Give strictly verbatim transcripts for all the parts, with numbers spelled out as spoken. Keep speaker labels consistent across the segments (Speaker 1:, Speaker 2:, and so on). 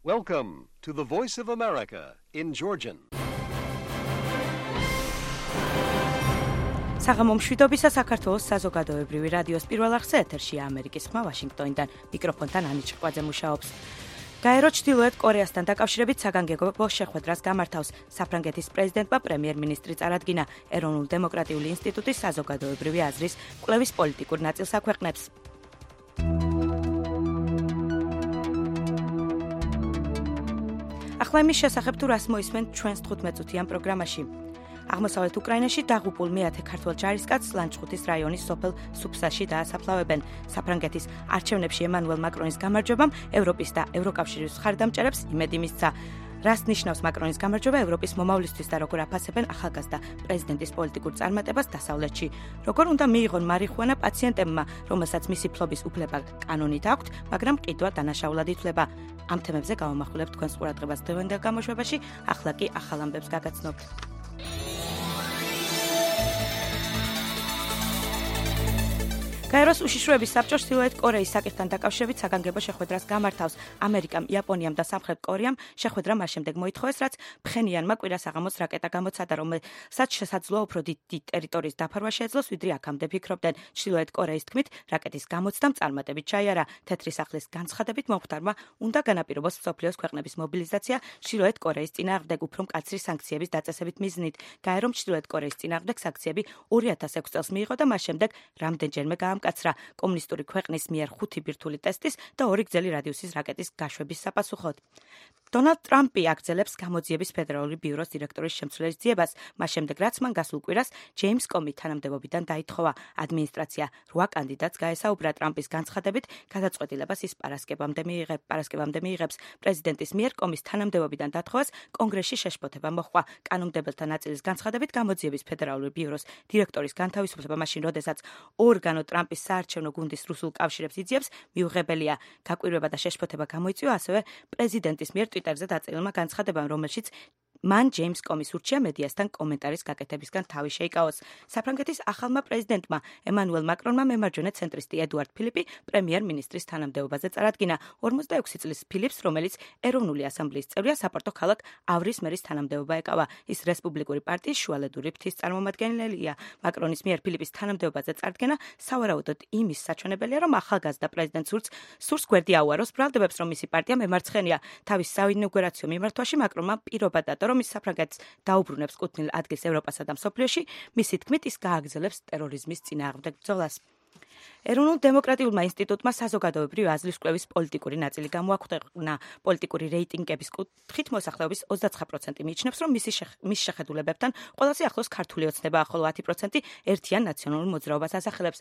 Speaker 1: Welcome to the Voice of America in Georgian.
Speaker 2: საღამო მშვიდობისა საქართველოს საზოგადოებრივი რადიოს პირველ არხზე ეთერშია ამერიკის ხმა ვაშინგტონიდან მიკროფონთან ანი ჭყვაძე მუშაობს. გაერო ჩრდილოეთ კორეასთან დაკავშირებით საგანგებო შეხვედრას გამართავს საფრანგეთის პრეზიდენტმა პრემიერ-მინისტრი წარადგინა ეროვნულ დემოკრატიული ინსტიტუტის საზოგადოებრივი აზრის კვლევის პოლიტიკურ ნაწილს აქვეყნებს. ახლა იმის შესახებ თუ რას მოისმენთ ჩვენს თხუთმეტწუთიან პროგრამაში. აღმოსავლეთ უკრაინაში დაღუპულ მეათე ქართველ ჯარისკაცს ლანჩხუთის რაიონის სოფელ სუფსაში დაასაფლავებენ. საფრანგეთის არჩევნებში ემანუელ მაკრონის გამარჯვებამ ევროპის და ევროკავშირის მხარდამჭერებს იმედი მისცა. რას ნიშნავს მაკრონის გამარჯვება ევროპის მომავლისთვის და როგორ აფასებენ ახალგაზრდა პრეზიდენტის პოლიტიკურ წარმატებას დასავლეთში? როგორ უნდა მიიღონ მარიხუანა პაციენტებმა, რომელსაც მისი ფლობის უფლება კანონით აქვთ, მაგრამ ყიდვა დანაშაულად ითვლება? ამ თემებზე გავამახვილებთ თქვენს ყურადღებას დღევანდელ გამოშვებაში, ახლა კი ახალ ამბებს გაგაცნობთ. გაეროს უშიშროების საბჭო ჩრდილოეთ კორეის საკითხთან დაკავშირებით საგანგებო შეხვედრას გამართავს. ამერიკამ, იაპონიამ და სამხრეთ კორეამ შეხვედრა მას შემდეგ მოითხოვეს, რაც ფხენიანმა კვირა საღამოს რაკეტა გამოცადა, რომელსაც შესაძლოა უფრო დიდი ტერიტორიის დაფარვა შეეძლოს, ვიდრე აქამდე ფიქრობდნენ. ჩრდილოეთ კორეის თქმით, რაკეტის გამოცდამ წარმატებით ჩაიარა. თეთრი სახლის განცხადებით მომხდარმა უნდა განაპირობოს მსოფლიოს ქვეყნების მობილიზაცია ჩრდილოეთ კორეის წინააღმდეგ უფრო მკაცრი სანქციების დაწესებით მიზნით. გაერომ ჩრდილოეთ კორეის წინააღმდეგ სანქციები ორი ათას ექვსი წელს მიიღო და მას შემდეგ რამდენჯერმე კაცრა კომუნისტური ქვეყნის მიერ ხუთი ბირთვული ტესტის და ორი გრძელი რადიუსის რაკეტის გაშვების საპასუხოდ. დონალდ ტრამპი აგრძელებს გამოძიების ფედერალური ბიუროს დირექტორის შემცვლელის ძიებას, მას შემდეგ რაც მან გასულ კვირას ჯეიმს კომი თანამდებობიდან დაითხოვა. ადმინისტრაცია რვა კანდიდატს გაესაუბრა ტრამპის განცხადებით, გადაწყვეტილებას ის პარასკევამდე მიიღებს. პარასკევამდე მიიღებს პრეზიდენტის მიერ კომის თანამდებობიდან დათხოვას კონგრესში შეშფოთება მოჰყვა. კანონმდებელთა ნაწილის განცხადებით გამოძიების ფედერალური ბიუროს დირექტორის განთავისუფლება მაშინ, როდესაც ორგანო ტრამპის საარჩევნო გუნდის რუსულ კავშირებს იძიებს, მიუღებელია. გაკვირვება და შეშფოთება გამოიწვია ასევე პრეზიდენტის მიერ ტვიტერზე დაწერილმა განცხადებამ, რომელშიც მან ჯეიმს კომის ურჩია მედიასთან კომენტარის გაკეთებისგან თავი შეიკავოს. საფრანგეთის ახალმა პრეზიდენტმა ემანუელ მაკრონმა მემარჯვენე ცენტრისტი ედუარდ ფილიპი პრემიერ-მინისტრის თანამდებობაზე წარადგინა. ორმოცდაექვსი წლის ფილიპს, რომელიც ეროვნული ასამბლეის წევრია, საპორტო ქალაქ ავრის მერის თანამდებობა ეკავა. ის რესპუბლიკური პარტიის შუალედური ფრთის წარმომადგენელია. მაკრონის მიერ ფილიპის თანამდებობაზე წარდგენა სავარაუდოდ იმის საჩვენებელია, რომ ახალგაზრდა პრეზიდენტ სურს სურს გვერდი აუაროს ბრალდებებს, რომ მისი პარტია მემარცხენეა. თავის საინაუგურაციო მიმართვაში მაკრონმა პირობა დადო, რომ ის საფრანგეთს დაუბრუნებს კუთვნილ ადგილს ევროპასა და მსოფლიოში, მისი თქმით ის გააგრძელებს ტერორიზმის წინააღმდეგ ბრძოლას. ეროვნულ დემოკრატიულმა ინსტიტუტმა საზოგადოებრივი აზრის კვლევის პოლიტიკური ნაწილი გამოაქვეყნა. პოლიტიკური რეიტინგების კუთხით მოსახლეობის ოცდაცხრა პროცენტი მიიჩნევს, რომ მისი მის შეხედულებებთან ყველაზე ახლოს ქართული ოცნებაა, ხოლო ათი პროცენტი ერთიან ნაციონალურ მოძრაობას ასახელებს.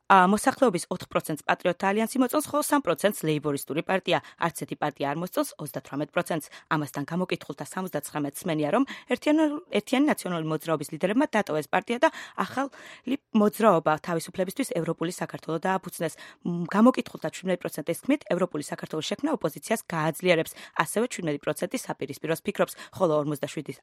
Speaker 2: მოსახლეობის ოთხ პროცენტს პატრიოტთა ალიანსი მოწონს, ხოლო სამ პროცენტს ლეიბორისტული პარტია. არც ერთი პარტია არ მოსწონს ოცდათვრამეტ პროცენტს. ამასთან გამოკითხულთა სამოცდაცხრამეტს სმენია, რომ ერთიანი ნაციონალური მოძრაობის ლიდერებმა დატოვეს პარტია და ახალი მოძრაობა თავისუფლებისთვის ევროპული საქართველო დააფუძნეს. გამოკითხულთა შვიდმეტი პროცენტის თქმით, ევროპული საქართველოს შექმნა ოპოზიციას გააძლიერებს. ასევე შვიდმეტი პროცენტი საპირისპიროს ფიქრობს, ხოლო ორმოცდაშვიდი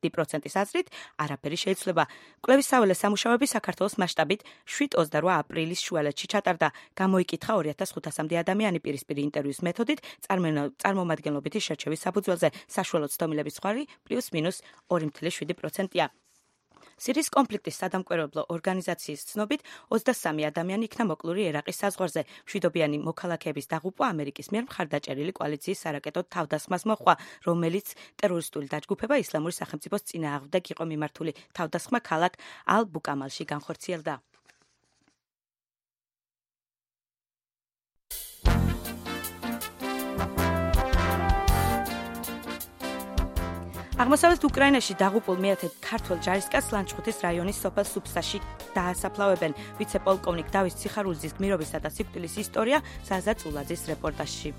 Speaker 2: პროცენტის აზრით არაფერი შეიცვლება. კვლევის საველე სამუშაოები საქართველოს მასშტაბით შვიდ ოცდარვა აპრილის შუალედში ჩატარდა. გამოიკითხა ორი ათას ხუთასამდე ადამიანი პირისპირი ინტერვიუს მეთოდით წარმომადგენლობითი შერჩევის საფუძველზე. საშუალო ცდომილების ზღვარი პლუს მინუს ორი ათეული შვიდი პროცენტია. სირიის კონფლიქტის სადამკვირვებლო ორგანიზაციის ცნობით ოცდასამი ადამიანი იქნა მოკლული ერაყის საზღვარზე. მშვიდობიანი მოქალაქეების დაღუპვა ამერიკის მიერ მხარდაჭერილი კოალიციის სარაკეტო თავდასხმას მოჰყვა, რომელიც ტერორისტული დაჯგუფება ისლამური სახელმწიფოს წინააღმდეგ იყო მიმართული. თავდასხმა ქალაქ ალ-ბუკამალში განხორციელდა. აღმოსავლეთ უკრაინაში დაღუპულ მეათე ქართველ ჯარისკაცს ლანჩხუთის რაიონის სოფელ სუფსაში დაასაფლავებენ. ვიცე-პოლკოვნიკ დავით ციხარულიძის გმირობისა და სიკვდილის ისტორია საზა წულაძის რეპორტაჟში.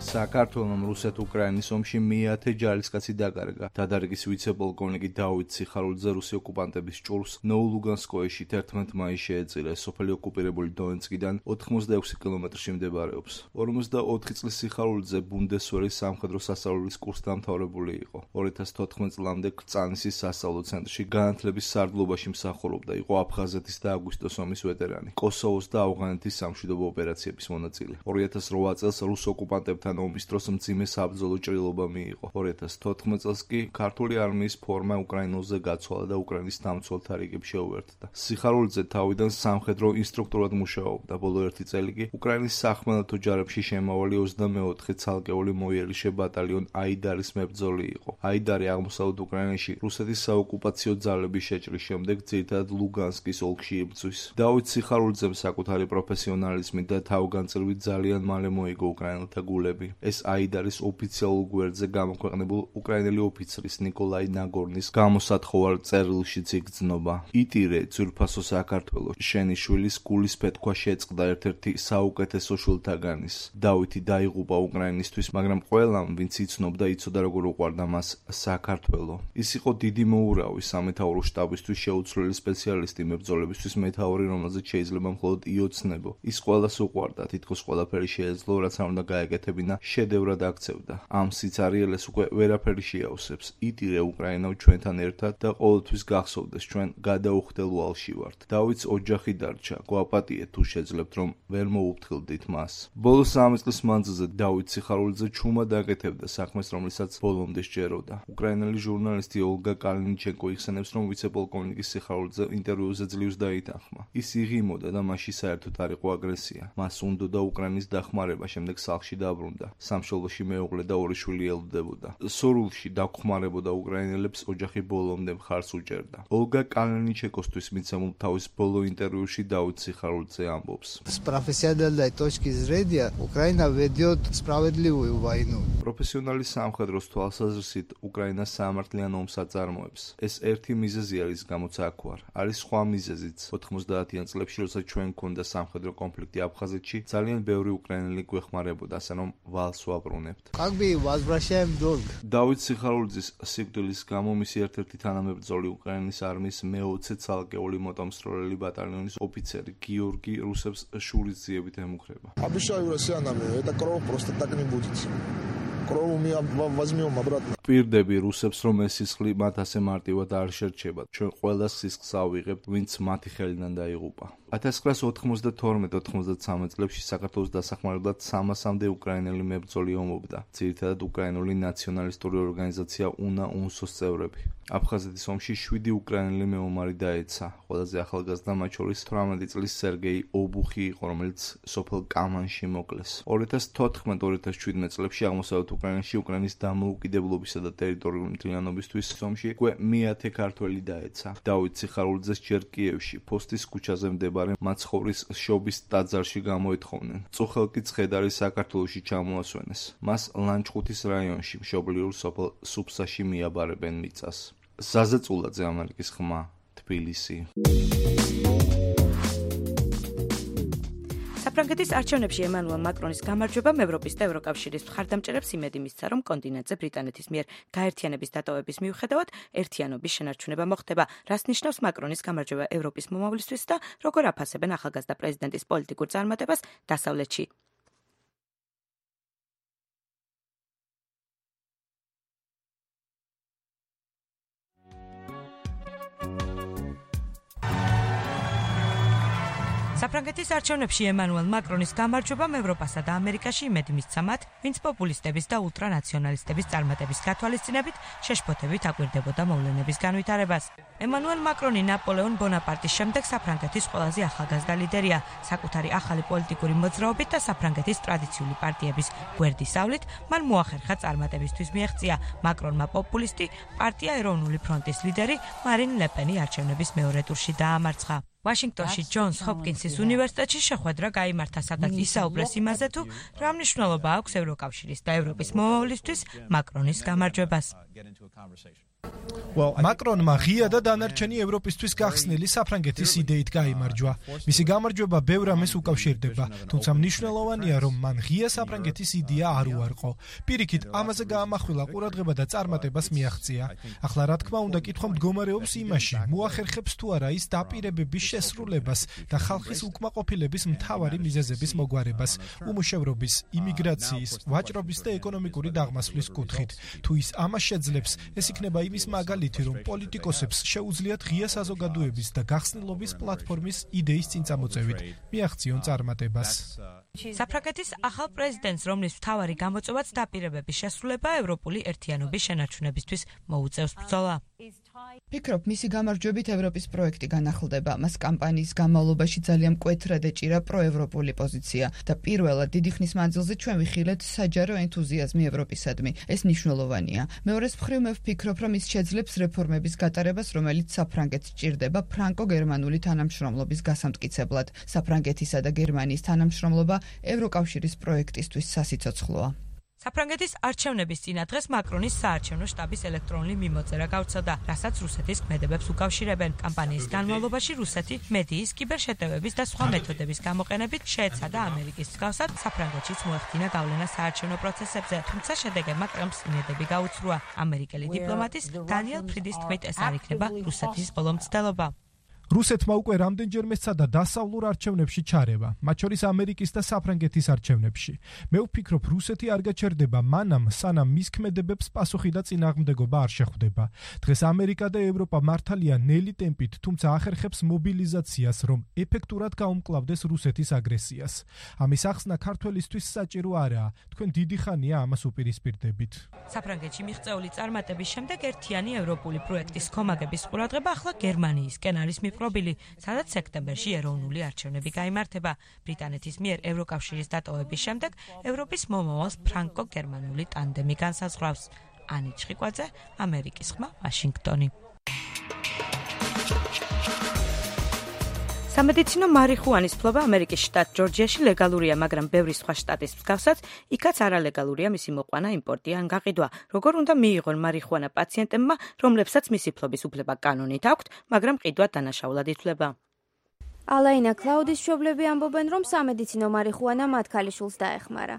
Speaker 3: საქართველოს რუსეთ-უკრაინის ომში მეათე ჯარისკაცი დაკარგა. დადარგის ვიცე-პოლკოვნიკი დავით ციხარულიძე რუსი ოკუპანტების ჭურვს ნოულუგანსკოეში თერთმეტ მაისს შეეწირა. სოფელი ოკუპირებული დონეცკიდან ოთხმოცდაექვსი კილომეტრში მდებარეობს. ორმოცდაოთხი წლის ციხარულიძე ბუნდესვერის სამხედრო სასწავლებლის კურსს დამთავრებული იყო. ორი ათას თოთხმეტ წლამდე კრწანისის სასწავლო ცენტრში განათლების სარდლობაში მსახურობდა. იყო აფხაზეთის და აგვისტოს ომის ვეტერანი. კოსოვოს და ავღანეთის სამშვიდობო ოპერაციების მონაწილე. ორი ათას რვა წელს რუს ოკუპანტებთან შვიდთან ომის დროს მძიმე საბრძოლო ჭრილობა მიიღო. ორი ათას თოთხმეტ წელს კი ქართული არმიის ფორმა უკრაინულზე გაცვალა და უკრაინის დამცველთა რიგებს შეუერთდა. სიხარულიძე თავიდან სამხედრო ინსტრუქტორად მუშაობდა. ბოლო ერთი წელი კი უკრაინის სახმელეთო ჯარებში შემავალი ოცდამეოთხე ცალკეული მოიერიში ბატალიონ აიდარის მებრძოლი იყო. აიდარი აღმოსავლეთ უკრაინაში რუსეთის საოკუპაციო ძალების შეჭრის შემდეგ ძირითადად ლუგანსკის ოლქში იბრძვის. დავით სიხარულიძემ საკუთარი პროფესიონალიზმით და თავგანწირვით ძალიან მალე მოიგო უკრაინელთა გულები. ეს აიდარის ოფიციალურ გვერდზე გამოქვეყნებულ უკრაინელი ოფიცრის ნიკოლაი ნაგორნის გამოსათხოვარ წერილშიც იგრძნობა. იტირე ძვირფასო საქართველო, შენი შვილის გულის ფეთქვა შეწყდა ერთ-ერთი საუკეთესო შვილთაგანის. დავითი დაიღუპა უკრაინისთვის, მაგრამ ყველამ, ვინც იცნობდა, იცოდა როგორ უყვარდა მას საქართველო. ის იყო დიდი მოურავი სამეთაურო შტაბისთვის შეუცვლელი სპეციალისტი მებრძოლებისთვის მეთაური, რომელზეც შეიძლება მხოლოდ იოცნებო. ის ყველას უყვარდა, თითქოს ყველაფერი შეეძლო, რაც არ უნდა გაეკეთებინა, შედევრად აქცევდა. ამ სიცარიელეს უკვე ვერაფერი შეავსებს. იტირე უკრაინავ ჩვენთან ერთად და ყოველთვის გახსოვდეს, ჩვენ გადაუხდელ ვალში ვართ. დავითს ოჯახი დარჩა, გვაპატიეთ თუ შეძლებთ, რომ ვერ მოუფრთხილდით მას. ბოლო სამი წლის მანძილზე დავით სიხარულიძე ჩუმად აკეთებდა საქმეს, რომლითაც ბოლომდე სჯეროდა. უკრაინელი ჟურნალისტი ოლგა კალინიჩენკო იხსენებს, რომ ვიცე-პოლკოვნიკის სიხარულიძე ინტერვიუზე ძლივს დაითანხმა. ის იღიმოდა და მასში საერთოდ არ იყო აგრესია. მას უნდოდა უკრაინის დახმარება, შემდეგ სახლში დაბრუნდა. სამშობლოში მეუღლე და ორი შვილი ელოდებოდა. სურვილში დაგხმარებოდა უკრაინელებს, ოჯახი боломდე მხარს უჭერდა. ოლგა კალინიჩენკოსთვის მიცემულ თავის ბოლო ინტერვიუში დავით სიხარულიძე ამბობს:
Speaker 4: С профессиональной точки зрения Украина ведет справедливую войну.
Speaker 3: პროფესიონალი სამხედროს თვალსაზრისით უკრაინა საამართლიან ომს აწარმოებს. ეს ერთი მიზეზი არის, გამოც აქ ვარ. არის სხვა მიზეზიც. ოთხმოცდაათიან წლებში, როცა ჩვენ გქონდა სამხედრო კონფლიქტი აფხაზეთში, ძალიან ბევრი უკრაინელი გვეხმარებოდა, ასე რომ ვალს ვაბრუნებთ.
Speaker 4: Как бы возвращаем долг.
Speaker 3: დავით სიხარულიძის სიკვდილის გამო მისი ერთ-ერთი თანამებრძოლი უკრაინის არმიის მეოცე ცალკეული მოტომსროლელი ბატალიონის ოფიცერი გიორგი რუსებს შურისძიებით ემუქრება.
Speaker 5: Обещаю россиянам, это кровь просто так не будет. Кровь мы возьмем обратно.
Speaker 3: პირდები რუსებს, რომ ეს სისხლი მათ ასე მარტივად არ შერჩება. ჩვენ ყველა სისხლს ავიღებთ, ვინც მათი ხელიდან დაიღუპა. ათას ცხრაასი ოთხმოცდათორმეტ ოთხმოცდაცამეტ წლებში საქართველოს დასახმარებლად სამასამდე უკრაინელი მებრძოლი ომობდა. ძირითადად უკრაინული ნაციონალისტური ორგანიზაცია უნა უნსოს წევრები. აფხაზეთის ომში შვიდი უკრაინელი მეომარი დაეცა. ყველაზე ახალგაზრდა მათ შორის თვრამეტი წლის სერგეი ობუხი იყო, რომელიც სოფელ კამანში მოკლეს. ორი ათას თოთხმეტ ორი ათას შვიდმეტ წლებში აღმოსავლეთ უკრაინაში უკრაინის დამოუკიდებლობისა და ტერიტორიული მთლიანობისთვის ომში უკვე მეათე ქართველი დაეცა. დავით სიხარულიძეს ჯერ კიევში, ფოსტის ქუჩაზე მდებარე მაცხოვრის შობის ტაძარში გამოეთხოვნენ. წუხელკი ცხედარი საქართველოში ჩამოასვენეს. მას ლანჩხუთის რაიონში, მშობლიურ სოფელ სუფსაში მიაბარებენ მიწას. ზაზა წულაძე, ამერიკის ხმა, თბილისი.
Speaker 2: საფრანგეთის არჩევნებში ემანუელ მაკრონის გამარჯვებამ ევროპის და ევროკავშირის მხარდამჭერებს იმედი მისცა, რომ კონტინენტზე ბრიტანეთის მიერ გაერთიანების დატოვების მიუხედავად ერთიანობის შენარჩუნება მოხდება, რაც ნიშნავს მაკრონის გამარჯვება ევროპის მომავლისთვის და როგორ აფასებენ ახალგაზრდა პრეზიდენტის პოლიტიკურ წარმატებას დასავლეთში. საფრანგეთის არჩევნებში ემანუელ მაკრონის გამარჯვებამ ევროპასა და ამერიკაში იმედი მისცა მათ, ვინც პოპულისტების და ულტრანაციონალისტების წარმატების გათვალისწინებით შეშფოთებით აკვირდებოდა მოვლენების განვითარებას. ემანუელ მაკრონი ნაპოლეონ ბონაპარტის შემდეგ საფრანგეთის ყველაზე ახალგაზრდა ლიდერია, საკუთარი ახალი პოლიტიკური მოძრაობით და საფრანგეთის ტრადიციული პარტიების გვერდისავლით, მან მოახერხა წარმატებისთვის მიაღწია. მაკრონმა პოპულისტი პარტია ეროვნული ფრონტის ლიდერი მარინ ლეპენი არჩევნების მეორე ტურში დაამარცხა. ვაშინგტონში ჯონს ჰოპკინსის უნივერსიტეტში შეხვედრა გაიმართა, სადაც ისაუბრეს იმაზე, თუ რა მნიშვნელობა აქვს ევროკავშირის და ევროპის მომავლისთვის მაკრონის გამარჯვებას.
Speaker 6: მაკრონმა ღია და დანარჩენი ევროპისთვის გახსნილი საფრანგეთის იდეით გაიმარჯვა. მისი გამარჯვება ბევრ ამას უკავშირდება, თუმცა მნიშვნელოვანია, რომ მან ღია საფრანგეთის იდეა არ უარყო. პირიქით, ამაზე გაამახვილა ყურადღება და წარმატებას მიაღწია. ახლა რა თქმა უნდა, კითხვა მდგომარეობს იმაში, მოახერხებს თუ არა ის დაპირებების შესრულებას და ხალხის უკმაყოფილების მთავარი მიზეზების მოგვარებას, უმუშევრობის, იმიგრაციის, ვაჭრობის და ეკონომიკური დაღმასვლის კუთხით. თუ ის ამას შეძლებს, აძლევს. ეს იქნება იმის მაგალითი, რომ პოლიტიკოსებს შეუძლიათ ღია საზოგადოების და გახსნილობის პლატფორმის იდეის წინ წამოწევით მიაღწიონ წარმატებას.
Speaker 2: საფრანგეთის ახალ პრეზიდენტს, რომლის მთავარი გამოწვევაც დაპირებების შესრულება ევროპული ერთიანობის შენარჩუნებისთვის მოუწევს ბრძოლა.
Speaker 7: ფიქრობ, მისი გამარჯვებით ევროპის პროექტი განახლდება. მას კამპანიის განმავლობაში ძალიან მკვეთრად ეჭირა პროევროპული პოზიცია და პირველად დიდი ხნის მანძილზე ჩვენ ვიხილეთ საჯარო ენთუზიაზმი ევროპისადმი. ეს მნიშვნელოვანია. მეორეს მხრივ მე ვფიქრობ, რომ ის შეძლებს რეფორმების გატარებას, რომელიც საფრანგეთს სჭირდება ფრანკო-გერმანული თანამშრომლობის გასამტკიცებლად. საფრანგეთისა და გერმანიის თანამშრომლობა ევროკავშირის პროექტისთვის სასიცოცხლოა.
Speaker 2: საფრანგეთის არჩევნების წინა დღეს მაკრონის საარჩევნო შტაბის ელექტრონული მიმოწერა გავრცელდა, რასაც რუსეთის ქმედებებს უკავშირებენ. კამპანიის განმავლობაში რუსეთი მედიის, კიბერშეტევების და სხვა მეთოდების გამოყენებით შეეცადა ამერიკის მსგავსად საფრანგეთშიც მოეხდინა გავლენა საარჩევნო პროცესებზე, თუმცა შედეგებმა კრემლს იმედები გაუცრუა. ამერიკელი დიპლომატის დანიელ ფრიდის თქმით, ეს არ იქნება რუსეთის ბოლო მცდელობა.
Speaker 6: რუსეთმა უკვე რამდენჯერმე სცადა დასავლურ არჩევნებში ჩარევა, მათ შორის ამერიკის და საფრანგეთის არჩევნებში. მე ვფიქრობ, რუსეთი არ გაჩერდება მანამ, სანამ მის ქმედებებს პასუხი და წინააღმდეგობა არ შეხვდება. დღეს ამერიკა და ევროპა მართალია ნელი ტემპით, თუმცა ახერხებს მობილიზაციას, რომ ეფექტურად გაუმკლავდეს რუსეთის აგრესიას. ამის ახსნა ქართველისთვის საჭირო არაა, თქვენ დიდი ხანია ამას უპირისპირდებით.
Speaker 2: საფრანგეთში მიღწეული წარმატების შემდეგ ერთიანი ევროპული პროექტის ხომაგების ყურადღება ახლა გერმანიისკენ არის მიპყრობილი, სადაც სექტემბერში ეროვნული არჩევნები გაიმართება. ბრიტანეთის მიერ ევროკავშირის დატოვების შემდეგ ევროპის მომავალს ფრანკო-გერმანული ტანდემი განსაზღვრავს. ანი ჩხიკვაძე, ამერიკის ხმა, ვაშინგტონი. სამედიცინო მარიხუანის ფლობა ამერიკის შტატ ჯორჯიაში ლეგალურია, მაგრამ ბევრი სხვა შტატის მსგავსად, იქაც არალეგალურია მისი მოყვანა, იმპორტი ან გაყიდვა. როგორ უნდა მიიღონ მარიხუანა პაციენტებმა, რომლებსაც მისი ფლობის უფლება კანონით აქვთ, მაგრამ ყიდვა დანაშაულად ითვლება.
Speaker 8: ალაინა კლაუდის მშობლები ამბობენ, რომ სამედიცინო მარიხუანა მათ ქალიშვილს დაეხმარა.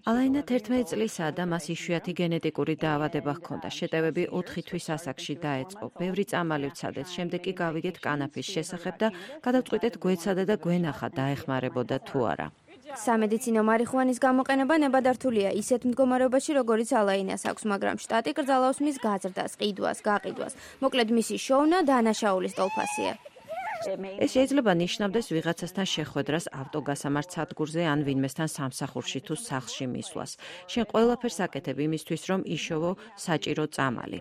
Speaker 9: ალაინა თერთმეტი წლისაა და მას იშვიათი გენეტიკური დაავადება ჰქონდა. შეტევები ოთხი თვის ასაკში დაეწყო. ბევრი წამალი ვცადეთ, შემდეგ კი გავიგეთ კანაფის შესახებ და გადავწყვიტეთ გვეცადა და გვენახა დაეხმარებოდა თუ არა.
Speaker 8: სამედიცინო მარიხუანის გამოყენება ნებადართულია ისეთ მდგომარეობაში, როგორიც ალაინას აქვს, მაგრამ შტატი კრძალავს მის გაზრდას, ყიდვას, გაყიდვას. მოკლედ მისი შოვნა დანაშაულის ტოლფასია.
Speaker 9: ეს შეიძლება ნიშნავდეს ვიღაცასთან შეხვედრას ავტოგასამართ სადგურზე ან ვინმესთან სამსახურში თუ სახლში მისვლას. შენ ყველაფერს აკეთებ იმისთვის, რომ იშოვო საჭირო წამალი.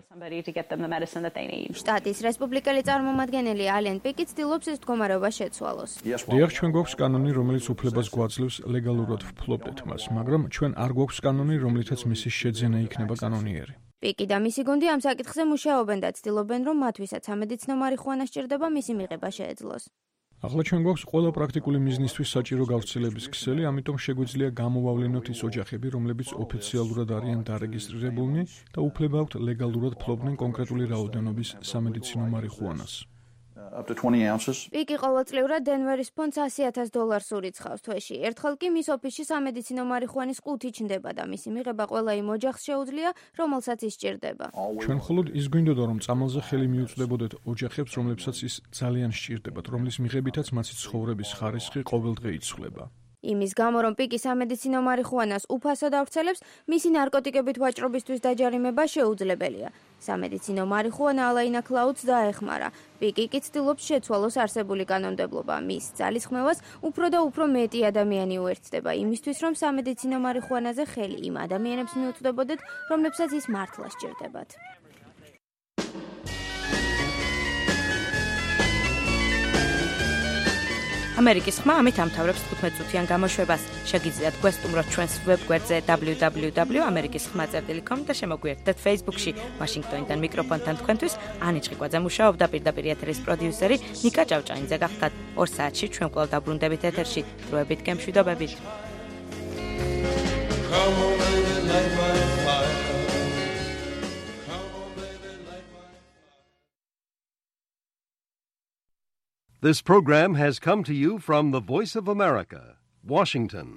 Speaker 8: შტატის რესპუბლიკელი წარმომადგენელი ალენ პიკი ცდილობს ეს მდგომარეობა შეცვალოს.
Speaker 10: დიახ, ჩვენ გვაქვს კანონი, რომელიც უფლებას გვაძლევს ლეგალურად ვფლობდეთ მას, მაგრამ ჩვენ არ გვაქვს კანონი, რომლითაც მისი შეძენა იქნება კანონიერი.
Speaker 8: პიკი და მისი გუნდი ამ საკითხზე მუშაობენ და ცდილობენ, რომ მათვისაც სამედიცინო მარიხუანა სჭირდება, მისი მიღება შეეძლოს.
Speaker 10: ახლა ჩვენ გვაქვს ყველა პრაქტიკული მიზნისთვის საჭირო გავრცელების ქსელი, ამიტომ შეგვიძლია გამოვავლინოთ ის ოჯახები, რომლებიც ოფიციალურად არიან დარეგისტრირებულნი და უფლება აქვთ ლეგალურად ფლობდნენ კონკრეტული რაოდენობის სამედიცინო მარიხუანას.
Speaker 8: პიკი ყოველწლიურად დენვერის ფონდს ასი ათას დოლარს ურიცხავს თვეში. ერთხელ კი მის ოფისში სამედიცინო მარიხუანის ყუთი ჩნდება და მისი მიღება ყველა იმ ოჯახს შეუძლია, რომელსაც ის სჭირდება.
Speaker 10: ჩვენ მხოლოდ ის გვინდოდა, რომ წამალზე ხელი მიუწვდებოდეთ ოჯახებს, რომლებსაც ის ძალიან სჭირდებათ, რომლის მიღებითაც მათი ცხოვრების ხარისხი ყოველდღე იცვლება.
Speaker 8: იმის გამო, რომ პიკი სამედიცინო მარიხუანას უფასოდ ავრცელებს, მისი ნარკოტიკებით ვაჭრობისთვის დაჯარიმება შეუძლებელია. სამედიცინო მარიხუანა ალაინა კლაუდს დაეხმარა. პიკი კი ცდილობს შეცვალოს არსებული კანონმდებლობა. მის ძალისხმევას უფრო და უფრო მეტი ადამიანი უერთდება იმისთვის, რომ სამედიცინო მარიხუანაზე ხელი იმ ადამიანებს მიუწვდებოდეთ, რომლებსაც ის მართლა სჭირდებათ.
Speaker 2: ამერიკის ხმა ამით ამთავრებს თხუთმეტ წუთიან გამოშვებას. შეგიძლიათ გვესტუმროთ ჩვენს ვებგვერდზე double-u double-u double-u dot amerikis khma dot com და შემოგვიერთდეთ Facebook-ში. ვაშინგტონიდან მიკროფონთან თქვენთვის ანი ჩხიკვაძე მუშაობდა, პირდაპირ ეთერის პროდიუსერი ნიკა ჭავჭანიძე გახდათ. ორ საათში ჩვენ კვლავ დაბრუნდებით ეთერში. დროებით გემშვიდობებით.
Speaker 1: This program has come to you from the Voice of America, Washington.